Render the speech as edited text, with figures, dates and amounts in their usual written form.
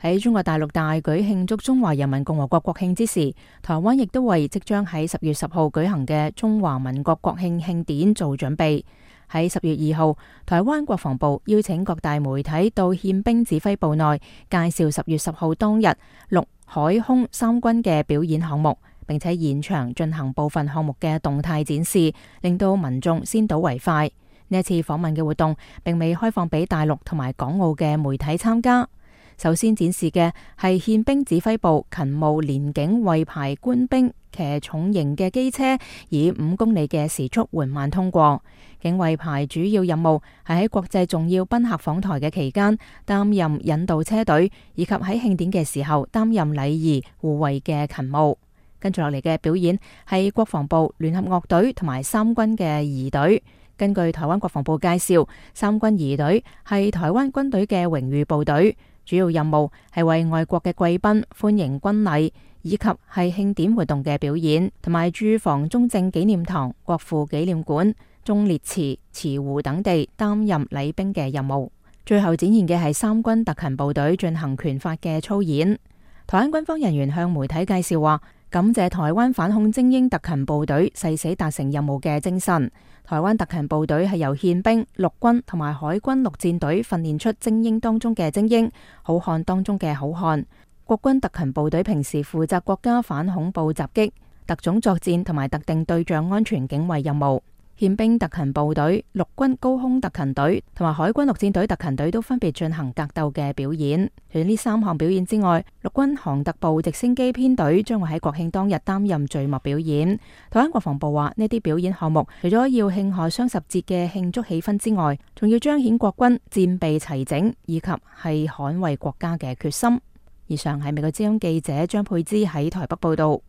喺中國大陸大舉慶祝中華人民共和國國慶之時，台灣亦都為即將喺10月10號舉行嘅中華民國國慶慶典做準備。喺10月2號，台灣國防部邀請各大媒體到憲兵指揮部內介紹10月10號當日陸海空三軍嘅表演項目，並且現場進行部分項目嘅動態展示，令到民眾先睹為快。呢一次訪問嘅活動並未開放俾大陸同埋港澳嘅媒體參加。首先展示嘅係憲兵指揮部勤務連警衛排官兵騎重型嘅機車，以5公里嘅時速緩慢通過。警衛排主要任務係喺國際重要賓客訪台嘅期間擔任引導車隊，以及喺慶典嘅時候擔任禮儀護衛嘅勤務。跟住落嚟嘅表演係國防部聯合樂隊同埋三軍嘅儀隊。根據台灣國防部介紹，三軍儀隊係台灣軍隊嘅榮譽部隊，主要任務係為外國嘅貴賓歡迎軍禮，以及係慶典活動嘅表演，同埋駐防中正紀念堂、國父紀念館、忠烈祠、慈湖等地擔任禮兵嘅任務。最後展現嘅係三軍特勤部隊進行拳法嘅操演。台灣軍方人員向媒體介紹話，感謝台灣反恐精英特勤部隊誓死達成任務嘅精神。台灣特勤部隊係由憲兵、陸軍同埋海軍陸戰隊訓練出精英當中嘅精英，好漢當中嘅好漢。國軍特勤部隊平時負責國家反恐怖襲擊、特種作戰同埋特定對象安全警衛任務。憲兵特勤部隊、陸軍高空特勤隊同埋海軍陸戰隊特勤隊都分別進行格鬥嘅表演。除咗呢3項表演之外，陸軍航特部直升機編隊將會喺國慶當日擔任序幕表演。台灣國防部話，呢啲表演項目除咗要慶賀雙十節嘅慶祝氣氛之外，仲要彰顯國軍戰備齊整以及係捍衛國家嘅決心。以上係美國之音記者張佩芝喺台北報道。